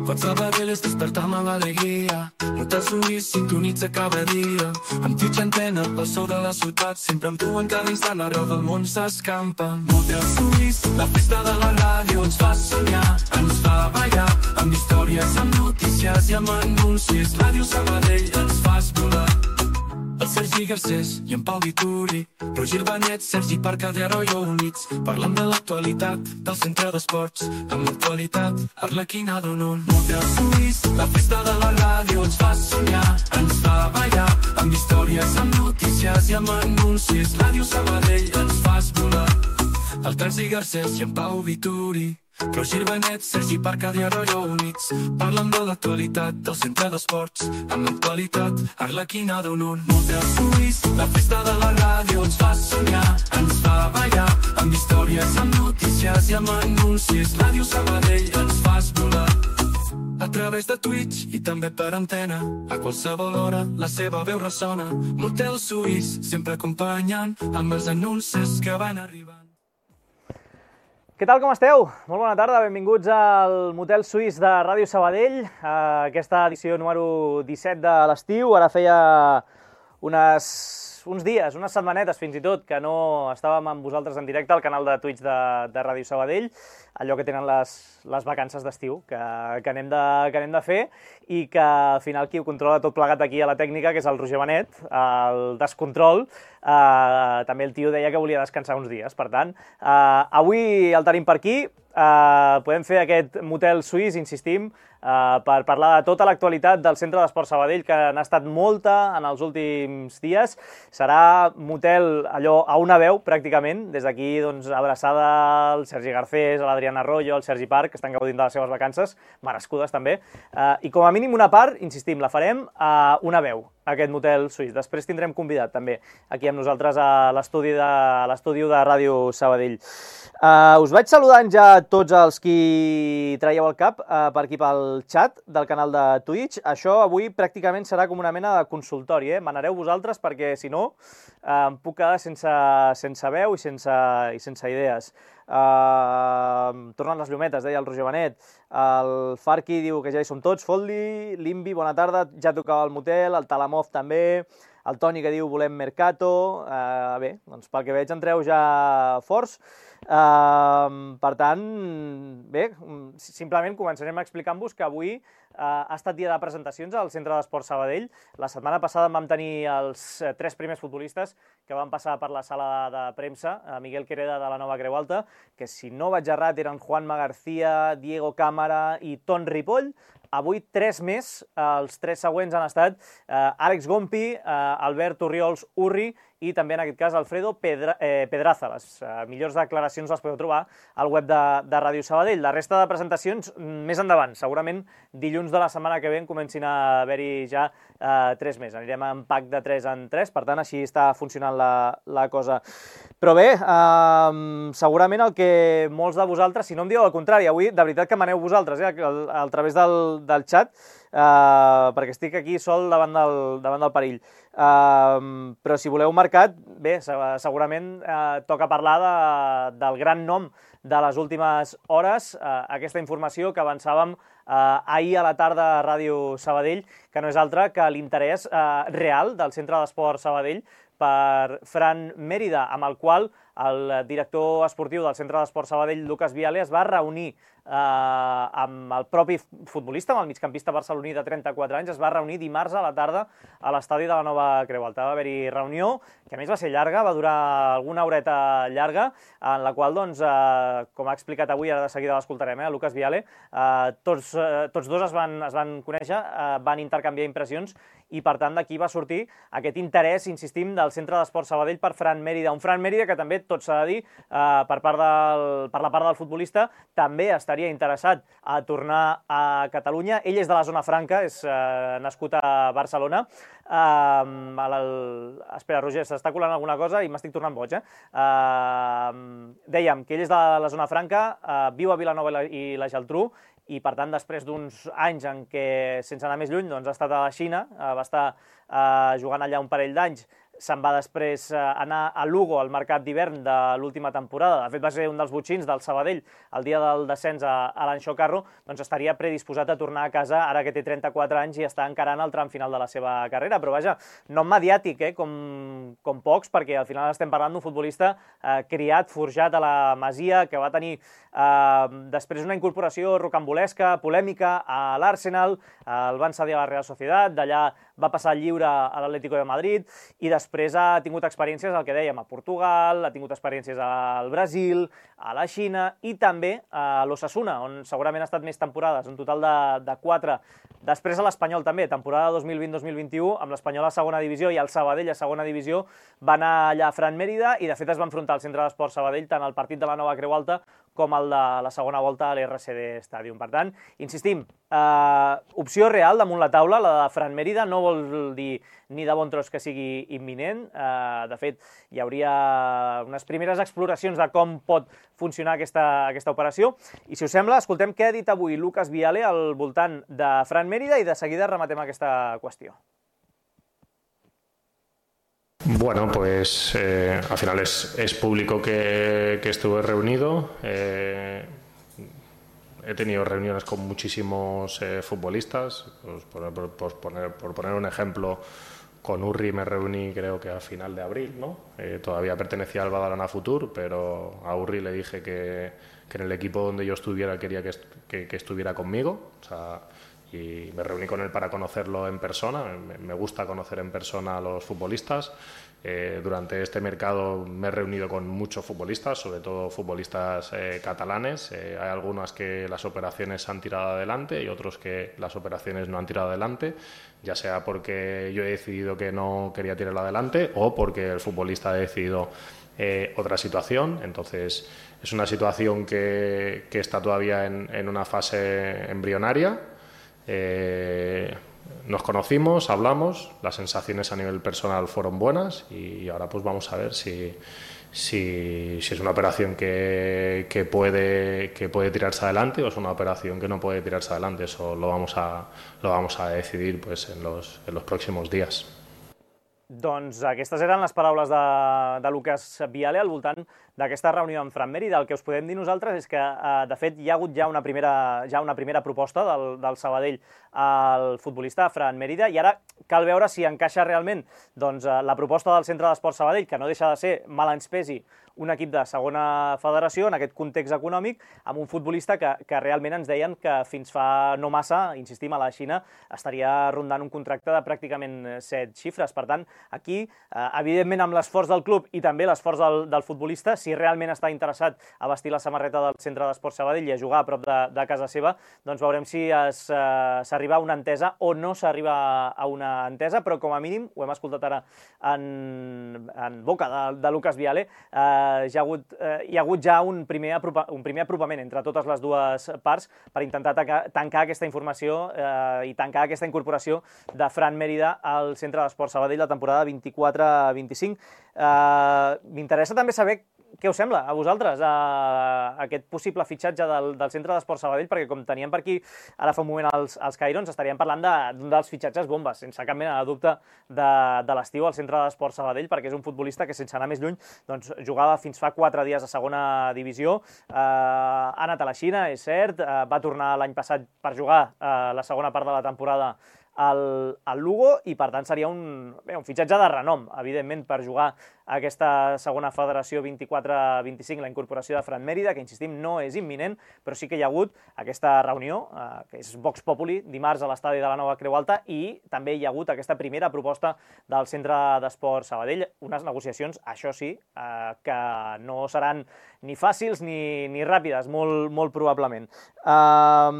Pots Sabadell és despertar-me l'alegria. Motel Suís sintonitza cada dia. Amb Twitch Antena, el so de la ciutat. Sempre amb tu en cada instant, arreu del món s'escampa. Motel Suís, la festa de la ràdio ens fa somiar, ens fa ballar. Amb històries, amb notícies i amb anuncis. Ràdio Sabadell ens fas volar. El Sergi Garcés i en Pau Vituri, Roger Benet, Sergi Parcadero i units. Parlem de l'actualitat del centre d'esports. Amb l'actualitat, Arlequina d'Onon. Motel Suís, la festa de la ràdio ens fa somiar, ens fa ballar. Amb històries, amb notícies i amb anuncis. Ràdio Sabadell ens fas volar. El Sergi Garcés i en Pau Vituri, Roger Benet, Sergi Parcadero i units. Parlen de l'actualitat del centre d'esports. Amb l'actualitat, Arlequina d'Onon. Motel Suís, la festa de la ràdio ens fa somiar, ens fa ballar. Amb històries, amb notícies i amb anuncis. Ràdio Sabadell ens fas volar. A través de Twitch i també per antena, a qualsevol hora la seva veu ressona. Motel Suís, sempre acompanyant amb els anuncis que van arribant. Què tal, com esteu? Molt bona tarda, benvinguts al Motel Suís de Ràdio Sabadell, aquesta edició número 17 de l'estiu. Ara feia uns dies, unes setmanetes fins i tot, que no estàvem amb vosaltres en directe al canal de Twitch de Ràdio Sabadell, allò que tenen les vacances d'estiu que anem de fer, i que al final qui ho controla tot plegat aquí a la tècnica, que és el Roger Benet, el descontrol. També el tio deia que volia descansar uns dies, per tant, avui el tenim per aquí. Podem fer aquest Motel Suís, insistim, per parlar de tota l'actualitat del Centre d'Esports Sabadell, que n'ha estat molta en els últims dies. Serà motel allò a una veu, pràcticament. Des d'aquí, doncs, abraçada al Sergi Garcés, a l'Adriana Arroyo, al Sergi Parc, que estan gaudint de les seves vacances, merescudes també. I com a mínim una part, insistim, la farem a una veu, aquest Motel Suís. Després tindrem convidat també aquí amb nosaltres a l'estudi de Ràdio Sabadell. Us vaig saludant ja tots els qui traieu el cap per aquí pel xat del canal de Twitch. Això avui pràcticament serà com una mena de consultori, Manareu vosaltres, perquè si no em puc quedar sense veu i sense idees. Tornen les llumetes, deia el Roger Benet. El Farki diu que ja hi som tots. Foldi, Limbi, bona tarda, ja tocava el motel. El Talamov també. El Toni que diu volem Mercato. Bé, doncs pel que veig entreu ja forts. Per tant, bé, simplement començarem explicant-vos que avui ha estat dia de presentacions al Centre d'Esports Sabadell. La setmana passada vam tenir els 3 primers futbolistes que van passar per la sala de premsa, Miguel Quereda de la Nova Creu Alta, que si no vaig errat eren Juanma García, Diego Cámara i Ton Ripoll. Avui 3 més, els 3 següents han estat Àlex Gompi, Albert Orriols Urri i també en aquest cas Alfredo Pedraza. Les millors declaracions les podeu trobar al web de Ràdio Sabadell. La resta de presentacions més endavant, segurament dilluns de la setmana que ve comencin a haver-hi ja 3 més. Anirem en pack de 3 en 3, per tant així està funcionant la cosa. Però bé, segurament el que molts de vosaltres, si no em dieu el contrari, avui de veritat que maneu vosaltres a través del xat, perquè estic aquí sol davant del perill. Però si voleu marcat, bé, segurament toca parlar del gran nom de les últimes hores, aquesta informació que avançàvem ahir a la tarda a Ràdio Sabadell, que no és altra que l'interès real del Centre d'Esports Sabadell per Fran Mérida, amb el qual el director esportiu del Centre d'Esports Sabadell, Lucas Viale, es va reunir amb el propi futbolista, amb el migcampista barceloní de 34 anys, es va reunir dimarts a la tarda a l'estadi de la Nova Creu Alta. Va haver-hi reunió, que a més va ser llarga, va durar alguna horeta llarga, en la qual, doncs, com ha explicat avui, ara de seguida l'escoltarem, Lucas Viale, tots dos es van conèixer, van intercanviar impressions i, per tant, d'aquí va sortir aquest interès, insistim, del Centre d'Esports Sabadell per Fran Mérida. Un Fran Mérida que també, tot s'ha de dir, per la part del futbolista, també estaria interessat a tornar a Catalunya. Ell és de la zona franca, és nascut a Barcelona. Espera, Roger, s'està colant alguna cosa i m'estic tornant boig. Dèiem que ell és de la zona franca, viu a Vilanova i la Geltrú, i per tant després d'uns anys en què, sense anar més lluny, ha estat a la Xina, va estar jugant allà un parell d'anys se'n va després anar a Lugo al mercat d'hivern de l'última temporada. De fet, va ser un dels botxins del Sabadell el dia del descens a l'Anxo Carro, doncs estaria predisposat a tornar a casa ara que té 34 anys i està encarant el tram final de la seva carrera. Però vaja, nom mediàtic, com pocs, perquè al final estem parlant d'un futbolista criat, forjat a la Masia, que va tenir després una incorporació rocambolesca, polèmica, a l'Arsenal, el van cedir a la Real Sociedad, d'allà va passar lliure a l'Atlético de Madrid i després ha tingut experiències, el que dèiem, a Portugal, ha tingut experiències al Brasil, a la Xina i també a l'Osasuna, on segurament ha estat més temporades, un total de 4. Després a l'Espanyol també, temporada 2020-2021, amb l'Espanyol a segona divisió i el Sabadell a segona divisió, va anar allà a Fran Mérida i de fet es va enfrontar al Centre d'Esports Sabadell tant al partit de la Nova Creu Alta com el de la segona volta a l'RCD Stadium. Per tant, insistim, opció real damunt la taula, la de Fran Mérida, no vol dir ni de bon tros que sigui imminent. De fet, hi hauria unes primeres exploracions de com pot funcionar aquesta operació. I si us sembla, escoltem què ha dit avui Lucas Viale al voltant de Fran Mérida i de seguida rematem aquesta qüestió. Bueno, pues al final es público que estuve reunido. He tenido reuniones con muchísimos futbolistas. Pues por poner un ejemplo, con Urri me reuní creo que a final de abril, ¿no? Todavía pertenecía al Badalona Futur, pero a Urri le dije que en el equipo donde yo estuviera quería que estuviera conmigo. O sea, y me reuní con él para conocerlo en persona. Me gusta conocer en persona a los futbolistas. Durante este mercado me he reunido con muchos futbolistas, sobre todo futbolistas catalanes. Hay algunas que las operaciones han tirado adelante y otros que las operaciones no han tirado adelante, ya sea porque yo he decidido que no quería tirarlo adelante o porque el futbolista ha decidido otra situación. Entonces es una situación que está todavía en una fase embrionaria. Nos conocimos, hablamos, las sensaciones a nivel personal fueron buenas y ahora pues vamos a ver si es una operación que puede tirarse adelante o es una operación que no puede tirarse adelante. Eso lo vamos a decidir pues en los próximos días. Doncs aquestes eren les paraules de Lucas Viale al voltant d'aquesta reunió amb Fran Mérida. El que us podem dir nosaltres és que, de fet, hi ha hagut ja una primera proposta del Sabadell al futbolista Fran Mérida i ara cal veure si encaixa realment la proposta del Centre d'Esports Sabadell, que no deixa de ser, mal ens pesi, un equip de segona federació en aquest context econòmic, amb un futbolista que realment ens deien que fins fa no massa, insistim, a la Xina, estaria rondant un contracte de pràcticament 7 xifres. Per tant, aquí, evidentment, amb l'esforç del club i també l'esforç del futbolista, si realment està interessat a vestir la samarreta del Centre d'Esports Sabadell i a jugar a prop de casa seva, doncs veurem si s'arriba a una entesa o no s'arriba a una entesa, però com a mínim, ho hem escoltat ara en boca de Lucas Viale, hi ha hagut ja un primer apropament entre totes les dues parts per intentar tancar aquesta informació i tancar aquesta incorporació de Fran Mérida al Centre d'Esports Sabadell la temporada 24-25. M'interessa també saber què us sembla a vosaltres aquest possible fitxatge del Centre d'Esports Sabadell, perquè com teníem per aquí ara fa un moment els Cairons, estaríem parlant d'un dels fitxatges bombes, sense cap mena de dubte, de l'estiu al Centre d'Esports Sabadell, perquè és un futbolista que, sense anar més lluny, doncs jugava fins fa 4 dies a segona divisió, ha anat a la Xina, és cert, va tornar l'any passat per jugar la segona part de la temporada al Lugo i per tant seria un fitxatge de renom, evidentment, per jugar a aquesta segona federació 24-25, la incorporació de Fran Mérida, que insistim no és imminent, però sí que hi ha hagut aquesta reunió, que és Vox Populi, dimarts a l'estadi de la Nova Creu Alta, i també hi ha hagut aquesta primera proposta del Centre d'Esports Sabadell, unes negociacions, això sí, que no seran ni fàcils ni ràpides, molt probablement. A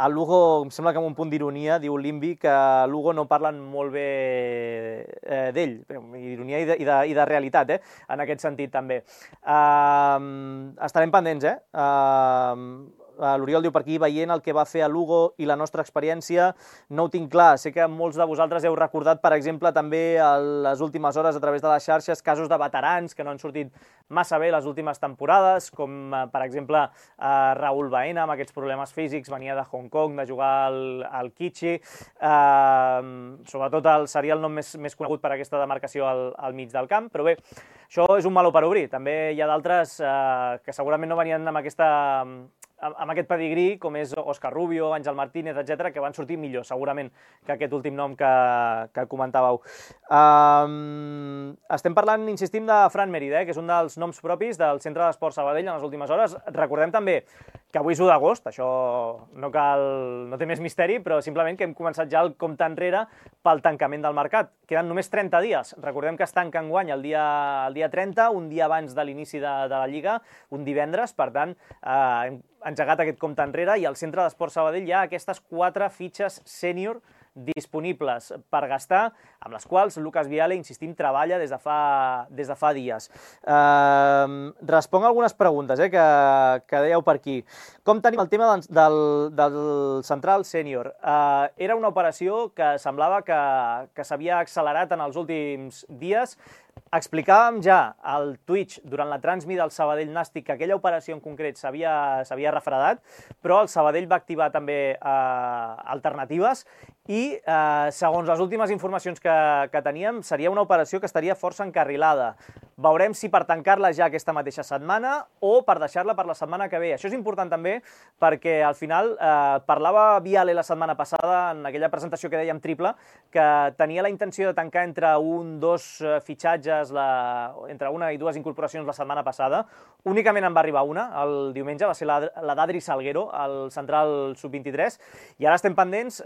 Lugo, em sembla que amb un punt d'ironia, diu l'Invi, que a Lugo no parlen molt bé d'ell, ironia i de realitat, en aquest sentit també. Estarem pendents, L'Oriol diu per aquí, veient el que va fer a Lugo i la nostra experiència, no ho tinc clar. Sé que molts de vosaltres heu recordat, per exemple, també a les últimes hores a través de les xarxes, casos de veterans que no han sortit massa bé les últimes temporades, com per exemple Raúl Baena, amb aquests problemes físics, venia de Hong Kong, de jugar al Kichi. Sobretot seria el nom més conegut per aquesta demarcació al mig del camp, però bé, això és un meló per obrir. També hi ha d'altres que segurament no venien amb aquest pedigrí, com és Òscar Rubio, Àngel Martínez, etc, que van sortir millor, segurament, que aquest últim nom que comentàveu. Estem parlant, insistim, de Fran Mérida, que és un dels noms propis del Centre d'Esport Sabadell en les últimes hores. Recordem també que avui és 1 d'agost, això no té més misteri, però simplement que hem començat ja el compte enrere pel tancament del mercat. Queden només 30 dies. Recordem que es tanca enguany el dia 30, un dia abans de l'inici de la Lliga, un divendres, per tant, hem engegat aquest compte enrere i al Centre d'Esport Sabadell hi ha aquestes 4 fitxes sènior disponibles per gastar, amb les quals Lucas Viale, insistim, treballa des de fa dies. Responc algunes preguntes que dèieu per aquí. Com tenim el tema del central sènior? Era una operació que semblava que s'havia accelerat en els últims dies. Explicàvem ja al Twitch durant la transmi del Sabadell Nàstic que aquella operació en concret s'havia refredat, però el Sabadell va activar també alternatives i, segons les últimes informacions que teníem, seria una operació que estaria força encarrilada. Veurem si per tancar-la ja aquesta mateixa setmana o per deixar-la per la setmana que ve. Això és important també perquè al final parlava Viale la setmana passada en aquella presentació que dèiem triple que tenia la intenció de tancar entre 1-2 fitxatges, entre 1 i 2 incorporacions la setmana passada. Únicament en va arribar una, el diumenge, va ser la d'Adri Salguero, el central sub-23, i ara estem pendents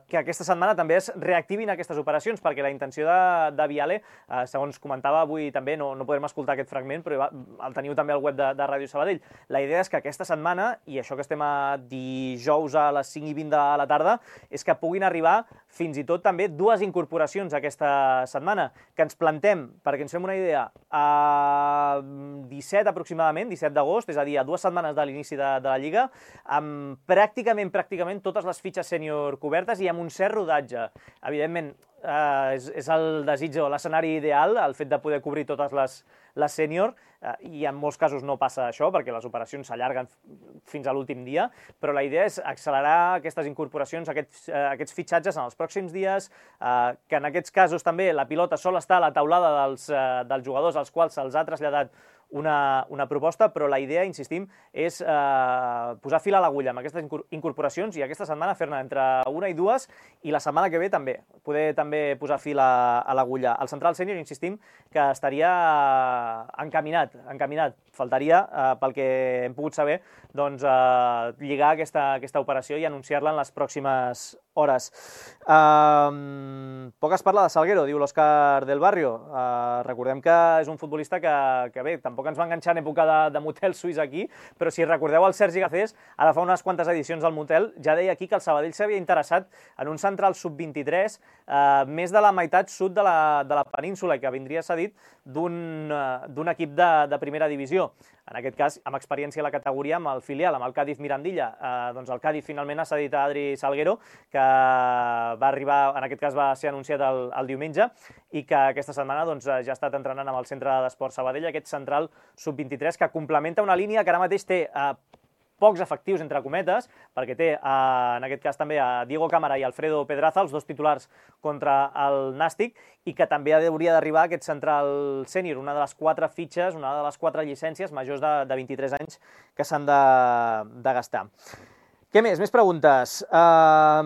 que aquesta setmana també es reactivin aquestes operacions, perquè la intenció de Viale, segons comentava avui també, no podrem escoltar aquest fragment, però el teniu també al web de Ràdio Sabadell. La idea és que aquesta setmana, i això que estem a dijous a les 5:20 de la tarda, és que puguin arribar fins i tot també 2 incorporacions aquesta setmana, que ens plantem, perquè ens fem una idea, a 17 aproximadament, 17 d'agost, és a dir, a 2 setmanes de l'inici de la Lliga, amb pràcticament totes les fitxes sènior cobertes i amb un cert rodatge. Evidentment, és el desig o l'escenari ideal, el fet de poder cobrir totes les sènior, i en molts casos no passa això, perquè les operacions s'allarguen fins a l'últim dia, però la idea és accelerar aquestes incorporacions, aquests fitxatges en els pròxims dies, que en aquests casos també la pilota sol estar a la taulada dels jugadors als quals se'ls ha traslladat una proposta, però la idea, insistim, és posar fil a l'agulla amb aquestes incorporacions i aquesta setmana fer-ne entre 1 i 2 i la setmana que ve també, poder també posar fil a l'agulla. El central sènior, insistim, que estaria encaminat. Faltaria, pel que hem pogut saber, doncs, lligar aquesta operació i anunciar-la en les pròximes hores. Poc es parla de Salguero, diu l'Òscar del Barrio. Recordem que és un futbolista que bé, tampoc ens va enganxar en època de motel suís aquí, però si recordeu el Sergi Gacés, ara fa unes quantes edicions al motel, ja deia aquí que el Sabadell s'havia interessat en un central sub-23 més de la meitat sud de la península i que vindria cedit d'un equip de primera divisió. En aquest cas, amb experiència a la categoria, amb el filial, amb el Cádiz Mirandilla. Doncs el Cádiz finalment ha cedit a Adri Salguero, que va arribar, en aquest cas va ser anunciat el diumenge, i que aquesta setmana ja ha estat entrenant amb el Centre d'Esport Sabadell, aquest central sub-23, que complementa una línia que ara mateix té pocs efectius, entre cometes, perquè té, en aquest cas també, a Diego Cámara i Alfredo Pedraza, els 2 titulars contra el Nàstic, i que també hauria d'arribar aquest central sènior, una de les 4 fitxes, una de les 4 llicències majors de 23 anys que s'han de gastar. Què més? Més preguntes. A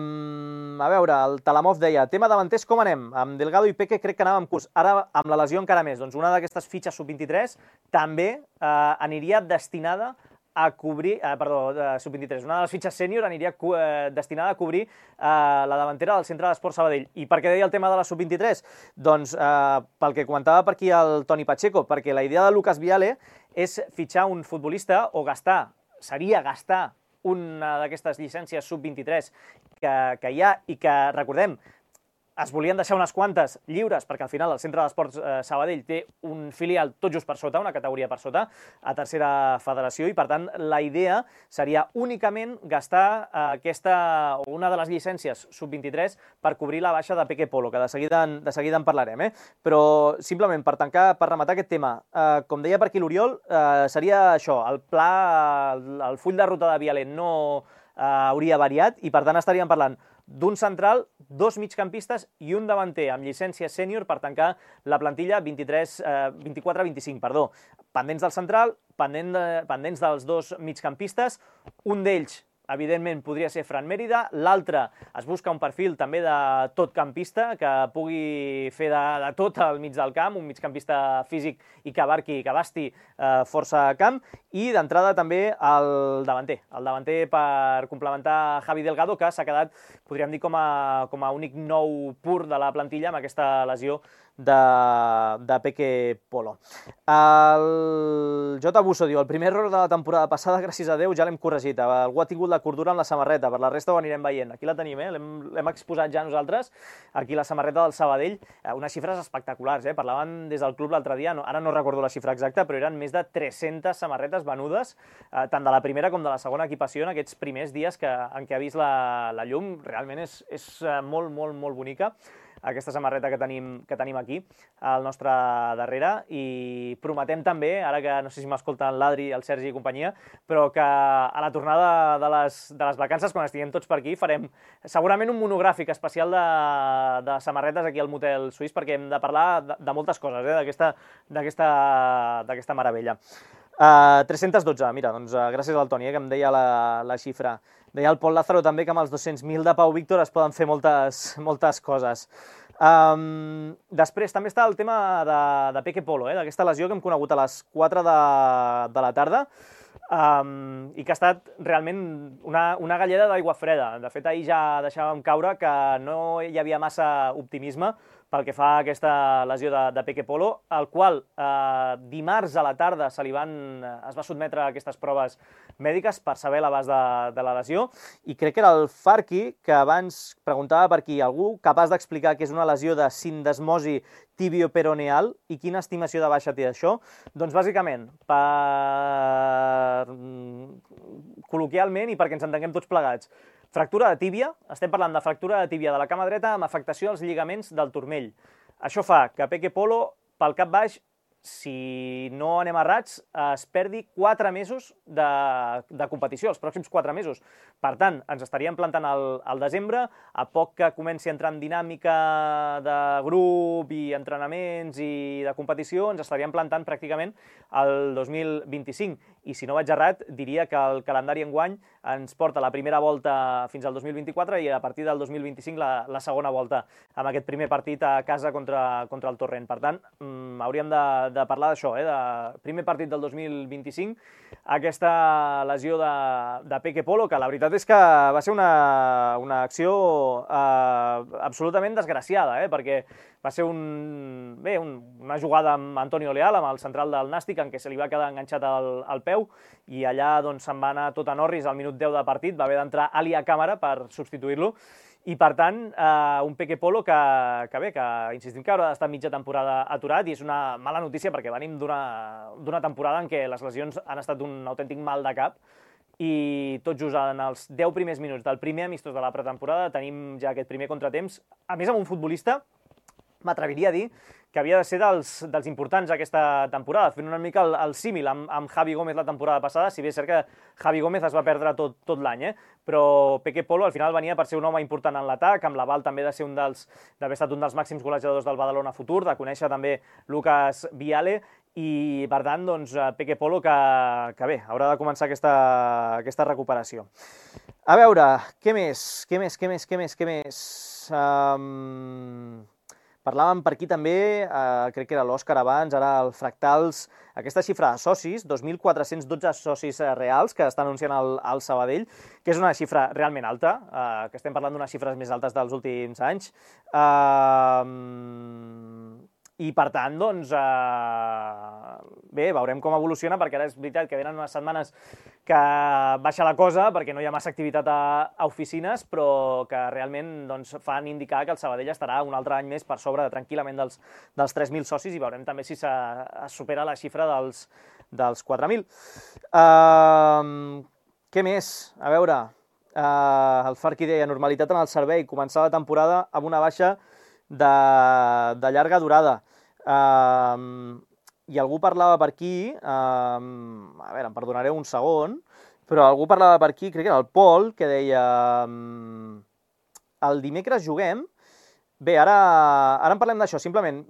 veure, el Talamov deia, tema davanters, com anem? Amb Delgado i Peque crec que anàvem curts. Ara, amb la lesió encara més. Doncs una d'aquestes fitxes sub-23 també aniria destinada a cobrir, sub-23, una de les fitxes sènior aniria destinada a cobrir la davantera del Centre d'Esport Sabadell. I per què deia el tema de la sub-23? Doncs pel que comentava per aquí el Toni Pacheco, perquè la idea de Lucas Viale és fitxar un futbolista o seria gastar una d'aquestes llicències sub-23 que hi ha i que, recordem, es volien deixar unes quantes lliures, perquè al final el Centre d'Esports Sabadell té un filial tot just per sota, una categoria per sota, a tercera federació, i per tant la idea seria únicament gastar una de les llicències sub-23 per cobrir la baixa de Peque Polo, que de seguida en parlarem, però simplement per rematar aquest tema, com deia per aquí l'Oriol, seria això, el pla, el full de ruta de Vialet no hauria variat, i per tant estaríem parlant d'un central, 2 migcampistes i un davanter amb llicència sènior per tancar la plantilla 24-25, pendents del central, pendents dels 2 migcampistes, un d'ells evidentment podria ser Fran Mérida, l'altre es busca un perfil també de totcampista que pugui fer de tot al mig del camp, un migcampista físic i que abasti força camp, i d'entrada també el davanter per complementar Javi Delgado, que s'ha quedat, podríem dir, com a únic nou pur de la plantilla amb aquesta lesió de Peque Polo. El J. Busso diu: el primer error de la temporada passada, gràcies a Déu, ja l'hem corregit. Algú ha tingut la cordura en la samarreta, per la resta ho anirem veient. Aquí la tenim, l'hem exposat ja nosaltres, aquí la samarreta del Sabadell, unes xifres espectaculars, parlaven des del club l'altre dia, ara no recordo la xifra exacta, però eren més de 300 samarretes venudes, tant de la primera com de la segona equipació en aquests primers dies en què ha vist la llum. Realment és molt, molt, molt bonica aquesta samarreta que tenim aquí al nostre darrere, i prometem també, ara que no sé si m'escolten l'Adri, el Sergi i companyia, però que a la tornada de les vacances, quan estiguem tots per aquí, farem segurament un monogràfic especial de samarretes aquí al Motel Suís, perquè hem de parlar de moltes coses, d'aquesta meravella. 312, mira, doncs gràcies al Toni, que em deia la xifra. Deia el Pol Lázaro també que amb els 200.000 de Pau Víctor es poden fer moltes coses. Després també està el tema de Peque Polo, d'aquesta lesió que hem conegut a les 4 de la tarda, i que ha estat realment una galleda d'aigua freda. De fet, ahir ja deixàvem caure que no hi havia massa optimisme pel que fa a aquesta lesió de Peque Polo, el qual dimarts a la tarda es va sotmetre a aquestes proves mèdiques per saber l'abast de la lesió, i crec que era el Farqui que abans preguntava per aquí, algú capaç d'explicar què és una lesió de sindesmosi tibioperoneal i quina estimació de baixa té això. Doncs bàsicament, col·loquialment i perquè ens entenguem tots plegats, fractura de tíbia, estem parlant de fractura de tíbia de la cama dreta amb afectació als lligaments del turmell. Això fa que Peque Polo, pel cap baix, si no anem errats, es perdi 4 mesos de competició, els pròxims 4 mesos. Per tant, ens estaríem plantant al desembre, a poc que comenci a entrar en dinàmica de grup i entrenaments i de competició, ens estaríem plantant pràcticament el 2025. I si no vaig errat, diria que el calendari enguany ens porta la primera volta fins al 2024 i a partir del 2025 la segona volta, amb aquest primer partit a casa contra el Torrent. Per tant, hauríem de parlar d'això, de primer partit del 2025, aquesta lesió de Peque Polo, que la veritat és que va ser una acció absolutament desgraciada, perquè va ser una jugada amb Antonio Leal, amb el central del Nàstic, en què se li va quedar enganxat al peu, i allà se'n va anar tot a Norris al minut 10 de partit, va haver d'entrar Ali a càmera per substituir-lo, i per tant, un Peque Polo que insistim que haurà d'estar mitja temporada aturat, i és una mala notícia perquè venim d'una temporada en què les lesions han estat un autèntic mal de cap, i tot just en els 10 primers minuts del primer amistós de la pretemporada tenim ja aquest primer contratemps, a més amb un futbolista, m'atreviria a dir, que havia de ser dels importants aquesta temporada, fent una mica el símil amb Javi Gómez la temporada passada, si bé és cert que Javi Gómez es va perdre tot l'any, però Peque Polo al final venia per ser un home important en l'atac, amb l'aval també d'haver estat un dels màxims golejadors del Badalona Futur, de conèixer també Lucas Viale, i per tant, doncs, Peque Polo que bé, haurà de començar aquesta recuperació. A veure, què més? Parlàvem per aquí també, crec que era l'Òscar abans, ara el Fractals, aquesta xifra de socis, 2.412 socis reals que està anunciant el Sabadell, que és una xifra realment alta, que estem parlant d'unes xifres més altes dels últims anys. I, per tant, doncs, bé, veurem com evoluciona, perquè ara és veritat que venen unes setmanes que baixa la cosa, perquè no hi ha massa activitat a oficines, però que realment doncs, fan indicar que el Sabadell estarà un altre any més per sobre tranquil·lament dels 3.000 socis, i veurem també si es supera la xifra dels 4.000. Què més? A veure, el Farqui deia normalitat en el servei, començar la temporada amb una baixa de llarga durada. I algú parlava per aquí, a veure, em perdonareu un segon, però algú parlava per aquí, crec que era el Pol, que deia el dimecres juguem. Bé, ara en parlem d'això, simplement.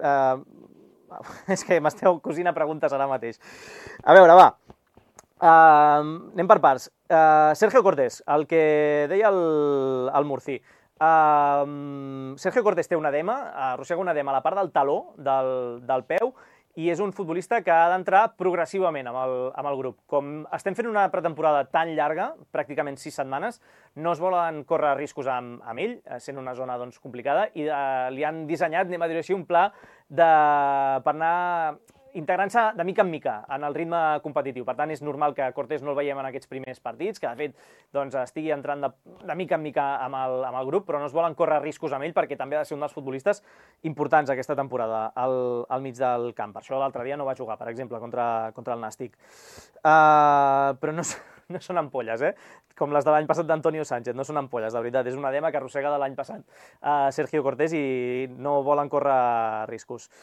És que m'esteu cosint a preguntes ara mateix. A veure, va. Anem per parts. Sergio Cortés, el que deia el Murci. Sergio Cortés té un edema, arrossega un edema a la part del taló del peu, i és un futbolista que ha d'entrar progressivament amb el grup. Com estem fent una pretemporada tan llarga, pràcticament 6 setmanes, no es volen córrer riscos amb ell, sent una zona doncs, complicada, i li han dissenyat, anem a dir així, un pla per anar integrant-se de mica en mica en el ritme competitiu. Per tant, és normal que Cortés no el veiem en aquests primers partits, que de fet doncs, estigui entrant de mica en mica amb el grup, però no es volen córrer riscos amb ell perquè també ha de ser un dels futbolistes importants aquesta temporada al mig del camp. Per això l'altre dia no va jugar, per exemple, contra el Nàstic. Però no són ampolles, com les de l'any passat d'Antonio Sánchez, no són ampolles, de veritat, és un edema que arrossega de l'any passat Sergio Cortés i no volen córrer riscos.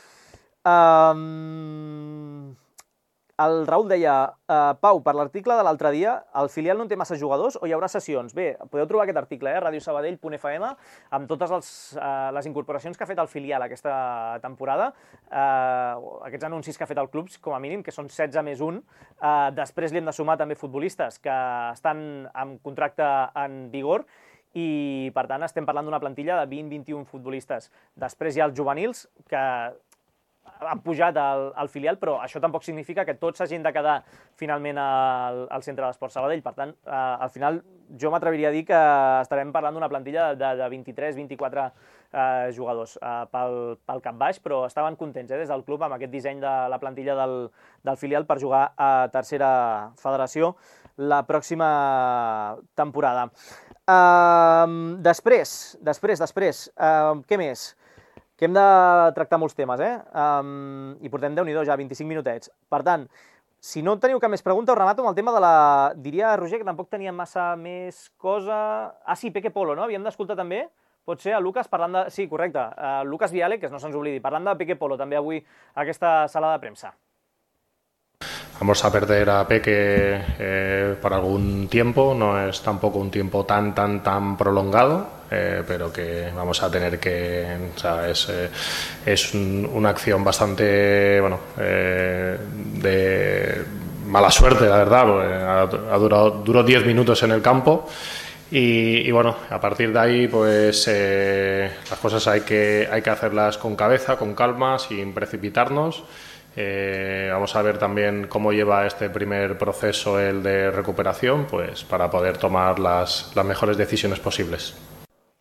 El Raül deia, Pau, per l'article de l'altre dia, el filial no té massa jugadors o hi haurà sessions? Bé, podeu trobar aquest article, radiosabadell.fm, amb totes les incorporacions que ha fet el filial aquesta temporada, aquests anuncis que ha fet el club, com a mínim, que són 16 més 1. Després li hem de sumar també futbolistes que estan amb contracte en vigor, i per tant estem parlant d'una plantilla de 20-21 futbolistes. Després hi ha els juvenils, que han pujat al filial, però això tampoc significa que tots s'hagin de quedar finalment al centre d'Esports Sabadell. Per tant, al final jo m'atreviria a dir que estarem parlant d'una plantilla de 23-24 jugadors pel cap baix, però estaven contents des del club amb aquest disseny de la plantilla del filial per jugar a tercera federació la pròxima temporada. Després, què més? Que hem de tractar molts temes, i portem Déu-n'hi-do ja, 25 minutets. Per tant, si no teniu cap més pregunta, us remato amb el tema de la... Diria, Roger, que tampoc teníem massa més cosa... Sí, Peque Polo, no? Havíem d'escoltar també, pot ser, a Lucas parlant de... Sí, correcte, Lucas Viale, que no se'ns oblidi, parlant de Peque Polo també avui a aquesta sala de premsa. Vamos a perder a Peque por algún tiempo, no es tampoco un tiempo tan prolongado, pero que vamos a tener que... O sea, es una acción bastante, de mala suerte, la verdad, porque duró 10 minutos en el campo. Y bueno, a partir de ahí, pues las cosas hay que hacerlas con cabeza, con calma, sin precipitarnos. Vamos a ver también cómo lleva este primer proceso el de recuperación, pues para poder tomar las mejores decisiones posibles.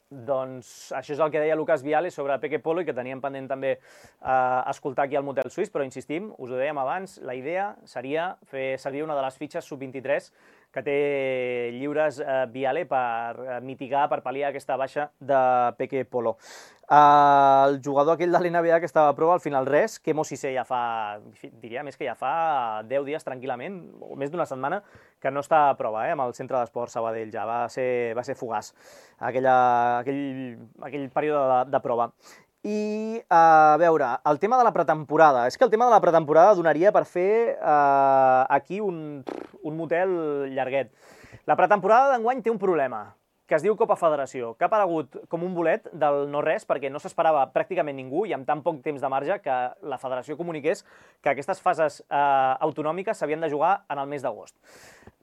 Doncs això és el que deia Lucas Viale sobre Peque Polo i que teníem pendent també escoltar aquí al Motel Suís, però insistim, us ho dèiem abans, la idea seria fer servir una de les fitxes sub-23 que té lliures Viale per mitigar, per pal·liar aquesta baixa de Peque Polo. El jugador aquell de l'NBA que estava a prova, al final res, Kemo Cissé ja fa, diria més que ja fa 10 dies tranquil·lament, o més d'una setmana, que no està a prova amb el Centre d'Esports Sabadell, ja va ser fugaç aquell període de prova. I, a veure, el tema de la pretemporada. És que el tema de la pretemporada donaria per fer aquí un motel llarguet. La pretemporada d'enguany té un problema, que es diu Copa Federació, que ha aparegut com un bolet del no-res, perquè no s'esperava pràcticament ningú i amb tan poc temps de marge que la federació comuniqués que aquestes fases autonòmiques s'havien de jugar en el mes d'agost.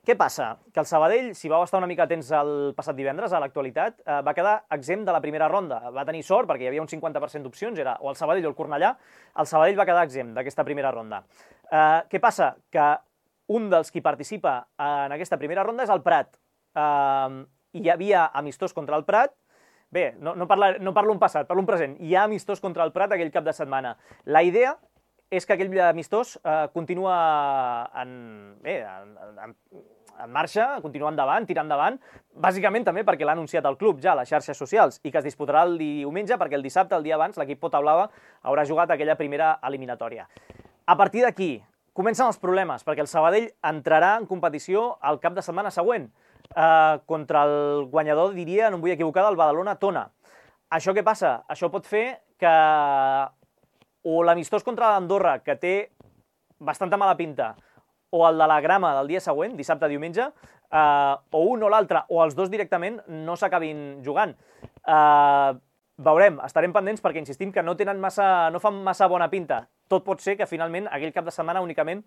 Què passa? Que el Sabadell, si vau estar una mica atents el passat divendres, a l'actualitat, va quedar exempt de la primera ronda. Va tenir sort perquè hi havia un 50% d'opcions, era o el Sabadell o el Cornellà. El Sabadell va quedar exempt d'aquesta primera ronda. Què passa? Que un dels qui participa en aquesta primera ronda és el Prat. Hi havia amistós contra el Prat, bé, no parlo en passat, parlo en present, hi ha amistós contra el Prat aquell cap de setmana. La idea és que aquell amistós continua en marxa, continua endavant, tirant endavant, bàsicament també perquè l'ha anunciat el club ja a les xarxes socials i que es disputarà el diumenge perquè el dissabte, el dia abans, l'equip Pota Blava haurà jugat aquella primera eliminatòria. A partir d'aquí comencen els problemes perquè el Sabadell entrarà en competició el cap de setmana següent contra el guanyador, diria, no em vull equivocar, del Badalona-Tona. Això què passa? Això pot fer que o l'amistós contra l'Andorra, que té bastanta mala pinta, o el de la Grama del dia següent, dissabte-diumenge, o un o l'altre, o els dos directament, no s'acabin jugant. Veurem, estarem pendents perquè insistim que no fan massa bona pinta. Tot pot ser que finalment aquell cap de setmana únicament,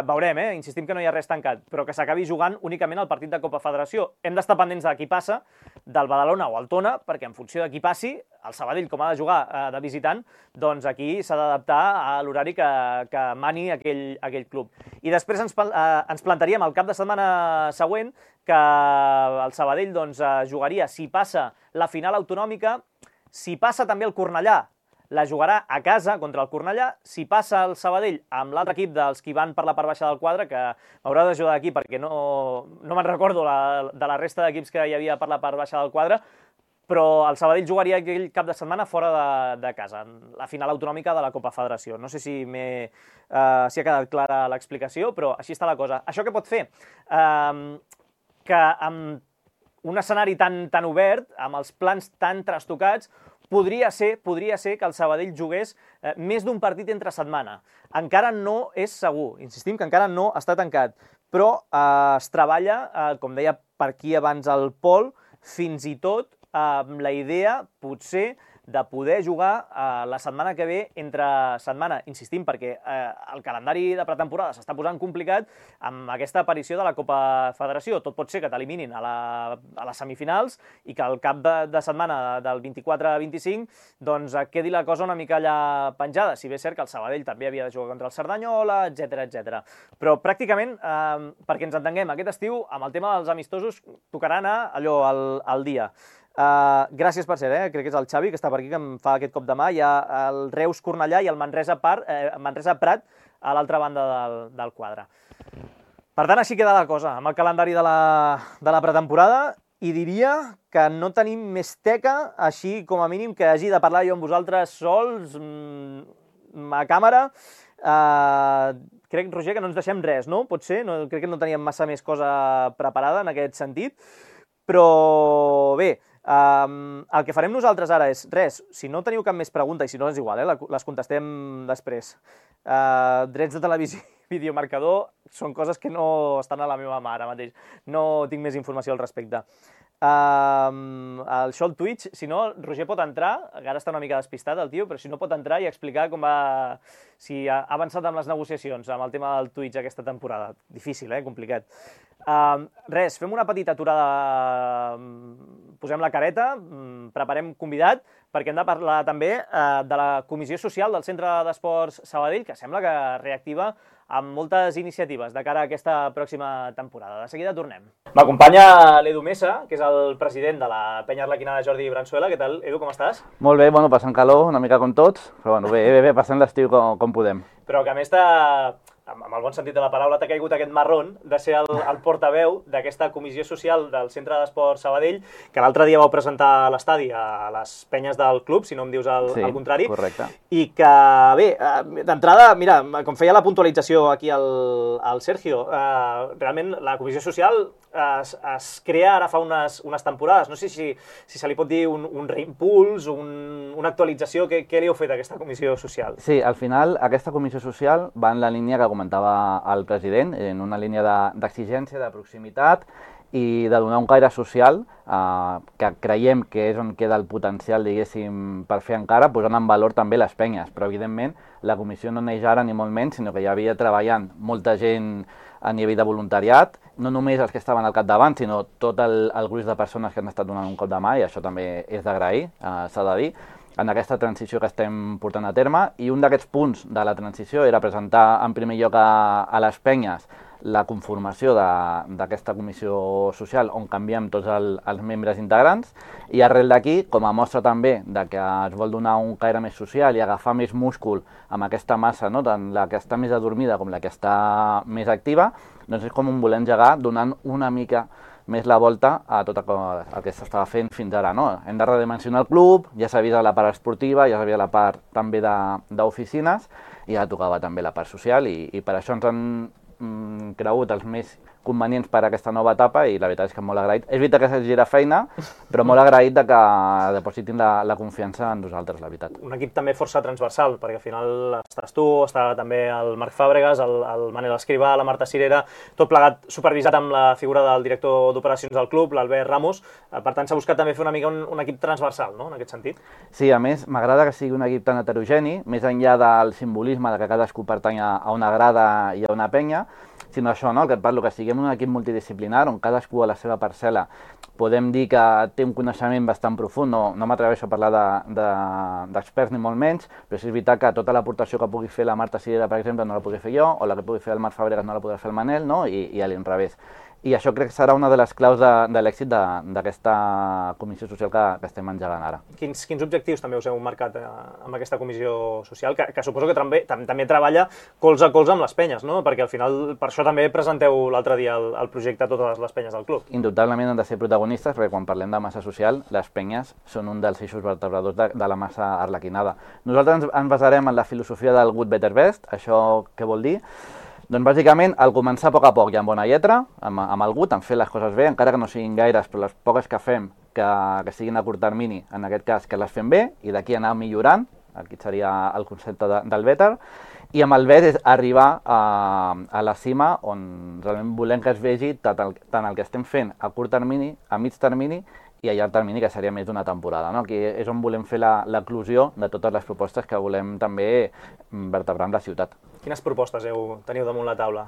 veurem, insistim que no hi ha res tancat, però que s'acabi jugant únicament el partit de Copa Federació. Hem d'estar pendents de qui passa, del Badalona o el Tona, perquè en funció de qui passi, el Sabadell, com ha de jugar de visitant, doncs aquí s'ha d'adaptar a l'horari que mani aquell club. I després ens plantaríem el cap de setmana següent que el Sabadell jugaria, si passa la final autonòmica, si passa també el Cornellà, la jugarà a casa contra el Cornellà. Si passa el Sabadell amb l'altre equip dels qui van per la part baixa del quadre, que m'haurà d'ajudar aquí perquè no me'n recordo de la resta d'equips que hi havia per la part baixa del quadre, però el Sabadell jugaria aquell cap de setmana fora de casa, en la final autonòmica de la Copa Federació. No sé si ha quedat clara l'explicació, però així està la cosa. Això què pot fer? Que amb un escenari tan obert, amb els plans tan trastocats, podria ser que el Sabadell jugués més d'un partit entre setmana. Encara no és segur, insistim que encara no està tancat, però es treballa, com deia per aquí abans el Pol, fins i tot amb la idea, potser, de poder jugar la setmana que ve entre setmana, insistim, perquè el calendari de pretemporada s'està posant complicat amb aquesta aparició de la Copa Federació. Tot pot ser que t'eliminin a les semifinals i que al cap de setmana del 24-25 doncs quedi la cosa una mica allà penjada, si bé és cert que el Sabadell també havia de jugar contra el Cerdanyola, etc. Però pràcticament, perquè ens entenguem, aquest estiu, amb el tema dels amistosos, tocarà anar allò al dia. Gràcies per ser, crec que és el Xavi que està per aquí, que em fa aquest cop de mà. Hi ha el Reus Cornellà i el Manresa Prat a l'altra banda del quadre. Per tant, així queda la cosa amb el calendari de la pretemporada, i diria que no tenim més teca, així com a mínim que hagi de parlar jo amb vosaltres sols, a càmera. Crec, Roger, que no ens deixem res, no? Pot ser? Crec que no teníem massa més cosa preparada en aquest sentit, però bé, el que farem nosaltres ara és res, si no teniu cap més pregunta, i si no és igual, les contestem després. Drets de televisió i videomarcador són coses que no estan a la meva mà ara mateix, no tinc més informació al respecte. Això al Twitch, si no, Roger pot entrar, ara està una mica despistat el tio, però si no pot entrar i explicar com va, si ha avançat amb les negociacions amb el tema del Twitch aquesta temporada. Difícil, complicat. Res, fem una petita aturada, posem la careta, preparem convidat, perquè hem de parlar també de la Comissió Social del Centre d'Esports Sabadell, que sembla que reactiva amb moltes iniciatives de cara a aquesta pròxima temporada. De seguida tornem. M'acompanya l'Edu Mesa, que és el president de la penya arlequinada Jordi Bransuela. Què tal, Edu, com estàs? Molt bé, passant calor, una mica com tots, però bé, passant l'estiu com podem. Però que a més amb el bon sentit de la paraula, t'ha caigut aquest marrón de ser el portaveu d'aquesta comissió social del Centre d'Esport Sabadell, que l'altre dia vau presentar a l'estadi a les penyes del club, si no em dius el contrari. Sí, correcte. I que, bé, d'entrada, mira, com feia la puntualització aquí el Sergio, realment la comissió social es crea ara fa unes temporades. No sé si se li pot dir un reimpuls, una actualització. Què li heu fet a aquesta comissió social? Sí, al final aquesta comissió social va en la línia que comentava el president, en una línia d'exigència, de proximitat i de donar un caire social, que creiem que és on queda el potencial, diguéssim, per fer encara, posant en valor també les penyes. Però, evidentment, la comissió no neix ara ni molt menys, sinó que ja havia treballant molta gent a nivell de voluntariat, no només els que estaven al capdavant, sinó tot el gruix de persones que han estat donant un cop de mà, i això també és d'agrair, s'ha de dir, en aquesta transició que estem portant a terme. I un d'aquests punts de la transició era presentar en primer lloc a les penyes la conformació d'aquesta comissió social on canviem tots els membres integrants i arrel d'aquí, com a mostra també de que es vol donar un caire més social i agafar més múscul amb aquesta massa, no? Tant la que està més adormida com la que està més activa, doncs és com un voler engegar donant una mica més la volta a tot el que s'estava fent fins ara. No? Hem de redimensionar el club, ja s'ha vist la part esportiva, ja s'ha vist la part també d'oficines i ja tocava també la part social i per això ens han cregut els més convenients per a aquesta nova etapa i la veritat és que molt agraït. És veritat que se'ls gira feina, però molt agraït de que depositin la confiança en nosaltres, la veritat. Un equip també força transversal, perquè al final estàs tu, està també el Marc Fàbregas, el Manel Escrivà, la Marta Cirera, tot plegat supervisat amb la figura del director d'operacions del club, l'Albert Ramos. Per tant, s'ha buscat també fer una mica un equip transversal, no?, en aquest sentit. Sí, a més, m'agrada que sigui un equip tan heterogeni, més enllà del simbolisme de que cadascú pertany a una grada i a una penya, sinó això, no? El que et parlo, que siguem un equip multidisciplinar on cadascú a la seva parcel·la podem dir que té un coneixement bastant profund, no m'atreveixo a parlar d'experts ni molt menys, però sí és veritat que tota l'aportació que pugui fer la Marta Cirera, per exemple, no la pugui fer jo, o la que pugui fer el Marc Fàbregas no la podrà fer el Manel, no? I a l'inrevés. I això crec que serà una de les claus de l'èxit d'aquesta comissió social que estem engegant ara. Quins objectius també us heu marcat amb aquesta comissió social, que suposo que també treballa colze a colze amb les penyes, no? Perquè al final per això també presenteu l'altre dia el projecte a totes les penyes del club. Indubtablement han de ser protagonistes, perquè quan parlem de massa social, les penyes són un dels eixos vertebradors de la massa arlequinada. Nosaltres ens basarem en la filosofia del Good Better Best. Això què vol dir? Doncs bàsicament, al començar a poc i amb bona lletra, amb el gut, en fer les coses bé, encara que no siguin gaires, però les poques que fem, que siguin a curt termini, en aquest cas, que les fem bé, i d'aquí anar millorant, aquí seria el concepte del better, i amb el bet és arribar a la cima on realment volem que es vegi tant el que estem fent a curt termini, a mig termini, i a llarg termini, que seria més d'una temporada. No? Aquí és on volem fer l'eclusió de totes les propostes que volem també vertebrar en la ciutat. Quines propostes teniu damunt la taula?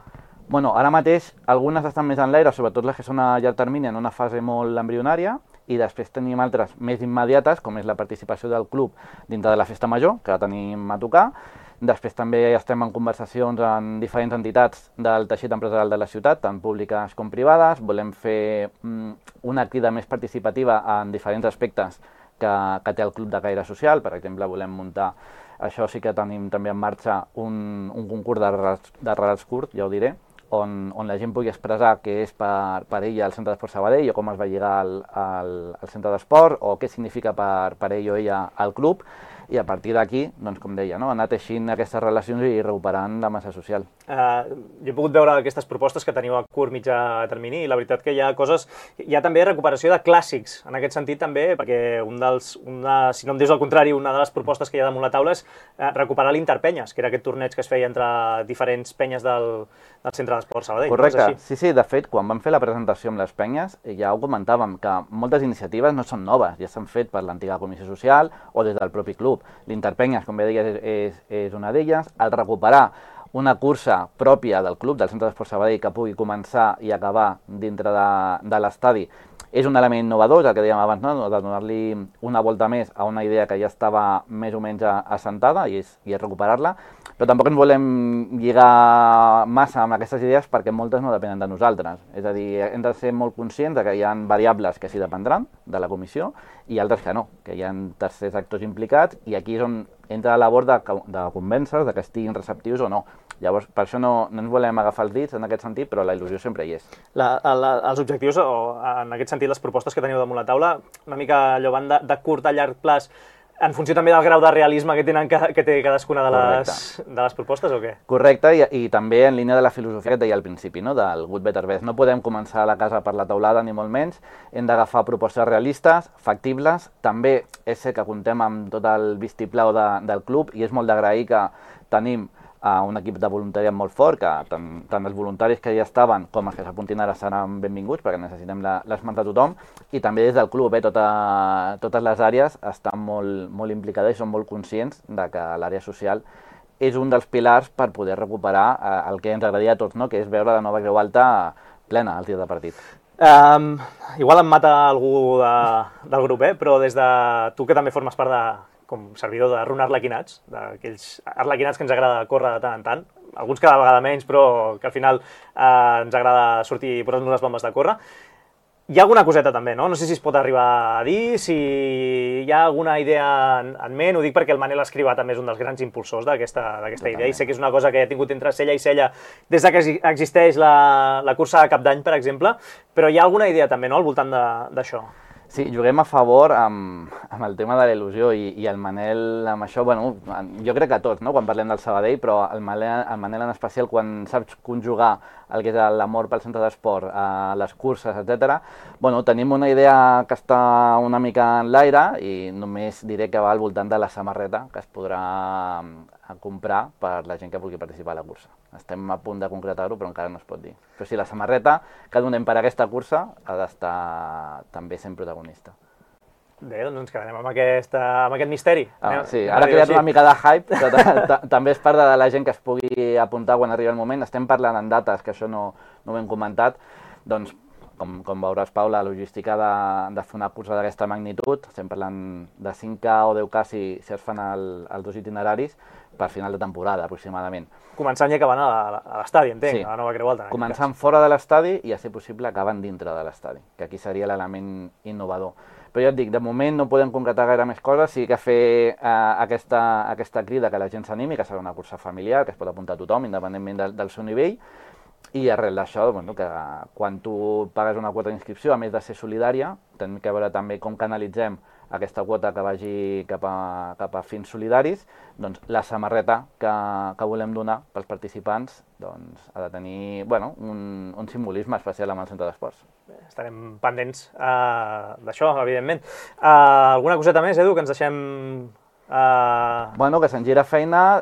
Bueno, ara mateix algunes estan més en l'aire, sobretot les que són a llarg termini, en una fase molt embrionària, i després tenim altres més immediates, com és la participació del club dintre de la Festa Major, que la tenim a tocar. Després també estem en conversacions amb diferents entitats del teixit empresarial de la ciutat, tant públiques com privades. Volem fer una crida més participativa en diferents aspectes que té el club de caire social. Per exemple, volem muntar, això sí que tenim també en marxa, un concurs de relats curts, ja ho diré, on la gent pugui expressar què és per ella el Centre d'Esport Sabadell o com es va lligar al centre d'esport o què significa per ell o ella al club. I a partir d'aquí, doncs, com deia, no? Anar teixint aquestes relacions i recuperant la massa social. Jo he pogut veure aquestes propostes que teniu a curt, mitjà termini, i la veritat que hi ha coses... Hi ha també recuperació de clàssics, en aquest sentit també, perquè si no em dius el contrari, una de les propostes que hi ha damunt la taula és recuperar l'Interpenyes, que era aquest torneig que es feia entre diferents penyes del Centre d'Esport Sabadell. Correcte, sí, de fet, quan vam fer la presentació amb les penyes, ja ho comentàvem, que moltes iniciatives no són noves, ja s'han fet per l'antiga comissió social o des del propi club. L'Interpenyes, com bé deies, és una d'elles. El recuperar una cursa pròpia del club, del Centre d'Esport Sabadell, que pugui començar i acabar dintre de l'estadi, és un element innovador, el que dèiem abans, no? De donar-li una volta més a una idea que ja estava més o menys assentada i és recuperar-la, però tampoc ens volem lligar massa amb aquestes idees perquè moltes no depenen de nosaltres. És a dir, hem de ser molt conscients que hi ha variables que sí dependran de la comissió i altres que no, que hi ha tercers actors implicats i aquí és on entra la labor de convèncer que estiguin receptius o no. Llavors, per això no ens volem agafar els dits en aquest sentit, però la il·lusió sempre hi és. Els objectius, o en aquest sentit les propostes que teniu damunt la taula, una mica allò van de curt a llarg plaç, en funció també del grau de realisme que té cadascuna de les propostes o què? Correcte, i també en línia de la filosofia que et deia al principi, no? Del Good Better Best. No podem començar la casa per la teulada, ni molt menys. Hem d'agafar propostes realistes, factibles. També és cert que comptem amb tot el vistiplau del club i és molt d'agrair que tenim un equip de voluntariat molt fort, que tant els voluntaris que ja estaven com els que s'apuntin ara seran benvinguts perquè necessitem l'esment de tothom, i també des del club, totes les àrees estan molt implicades i són molt conscients de que l'àrea social és un dels pilars per poder recuperar el que ens agradaria a tots, no? Que és veure la nova Creu Alta plena al tir de partit. Igual em mata algú del grup, però des de tu que també formes part com servidor de Run Arlequinats, d'aquells arlequinats que ens agrada córrer de tant en tant, alguns cada vegada menys, però que al final ens agrada sortir i posar-nos les bombes de córrer. Hi ha alguna coseta també, no? No sé si es pot arribar a dir, si hi ha alguna idea en ment, ho dic perquè el Manel Escrivà també és un dels grans impulsors d'aquesta idea i sé que és una cosa que ha tingut entre cella i cella des que existeix la cursa de Cap d'Any, per exemple, però hi ha alguna idea també, no?, al voltant d'això. Sí, juguem a favor amb el tema de la il·lusió i el Manel amb això, bueno, jo crec que tots, no?, quan parlem del Sabadell, però el Manel en especial, quan saps conjugar el que és l'amor pel centre d'esport, les curses, etc. Bueno, tenim una idea que està una mica en l'aire i només diré que va al voltant de la samarreta que es podrà comprar per la gent que vulgui participar a la cursa. Estem a punt de concretar-ho, però encara no es pot dir. Però sí, la samarreta que donem per aquesta cursa ha d'estar també sent protagonista. Bé, doncs ens quedarem amb aquest misteri. Sí, ara ha creat una mica de hype, però també és part de la gent que es pugui apuntar quan arribi el moment. Estem parlant en dates, que això no ho hem comentat, doncs com veuràs, Pau, la logística de fer una cursa d'aquesta magnitud, estem parlant de 5K o 10K si es fan els dos itineraris per final de temporada, aproximadament. Començant i acabant a l'estadi, entenc, sí. a la Nova Creu Alta. Començant fora de l'estadi i, a ser possible, acabant dintre de l'estadi, que aquí seria l'element innovador. Però ja et dic, de moment no podem concretar gaire més coses, sí que fer aquesta crida que la gent s'animi, que serà una cursa familiar, que es pot apuntar a tothom, independentment del seu nivell, i arrel d'això, bueno, que quan tu pagues una quota d'inscripció, a més de ser solidària, tenim que veure també com canalitzem aquesta quota que vagi cap a fins solidaris, doncs la samarreta que volem donar pels participants doncs, ha de tenir un simbolisme especial amb el centre d'esports. Estarem pendents d'això, evidentment. Alguna coseta més, Edu, que ens deixem... Bueno, que se'n gira feina,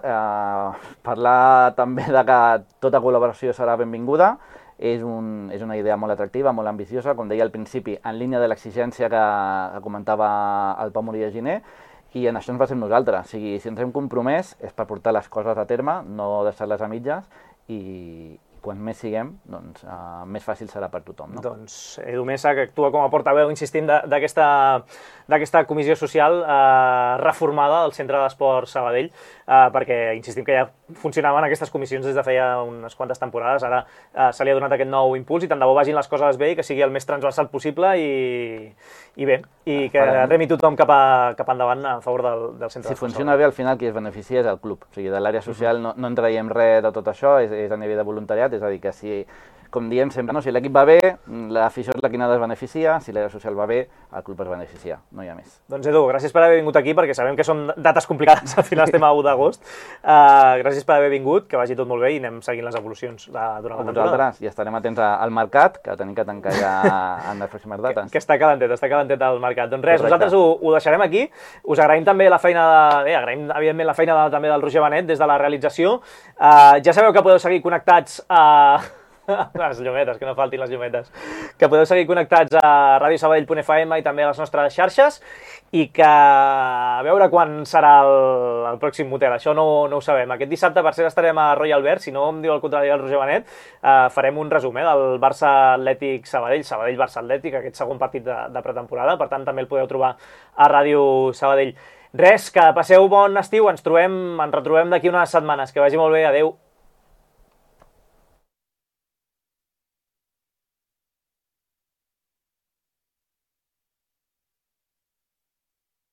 parlar també de que tota col·laboració serà benvinguda, és una idea molt atractiva, molt ambiciosa, com deia al principi, en línia de l'exigència que comentava el Pau Moria Giner, i en això ens basem nosaltres. O sigui, si ens hem compromès és per portar les coses a terme, no deixar-les a mitges, i quan més siguem, doncs més fàcil serà per tothom. No? Doncs Edu Mesa, que actua com a portaveu, insistim, d'aquesta comissió social reformada del Centre d'Esport Sabadell, perquè insistim que ja funcionaven aquestes comissions des de feia unes quantes temporades, ara se li ha donat aquest nou impuls i tant de bo vagin les coses bé i que sigui el més transversal possible i bé, i que remi tothom cap endavant a favor del Centre d'Esport. Si funciona bé, al final qui es beneficia és el club, o sigui, de l'àrea social no en traiem res de tot això, és a nivell de voluntariat. És a dir, que si, com diem sempre, si l'equip va bé, l'afició és la que n'ha de beneficiar, si l'àrea social va bé, el club es beneficia, no hi ha més. Doncs Edu, gràcies per haver vingut aquí, perquè sabem que són dates complicades, al final estem a 1 d'agost. Gràcies per haver vingut, que vagi tot molt bé i anem seguint les evolucions durant la temporada. I estarem atents al mercat, que tenim que tancar ja en les pròximes dates. Que està calentet el mercat. Doncs res, nosaltres ho deixarem aquí. Us agraïm també la feina, agraïm evidentment la feina també del Roger Benet des de la realització. Ja sabeu que podeu seguir connectats les llumetes, que no faltin les llumetes, que podeu seguir connectats a radiosabadell.fm i també a les nostres xarxes i que a veure quan serà el pròxim motel, això no ho sabem. Aquest dissabte per cert estarem a Royal Albert, si no em diu el contrari el Roger Benet, farem un resum del Barça Atlètic Sabadell, Sabadell-Barça Atlètic, aquest segon partit de pretemporada, per tant també el podeu trobar a Ràdio Sabadell. Res, que passeu bon estiu, ens retrobem d'aquí unes setmanes, que vagi molt bé, adeu.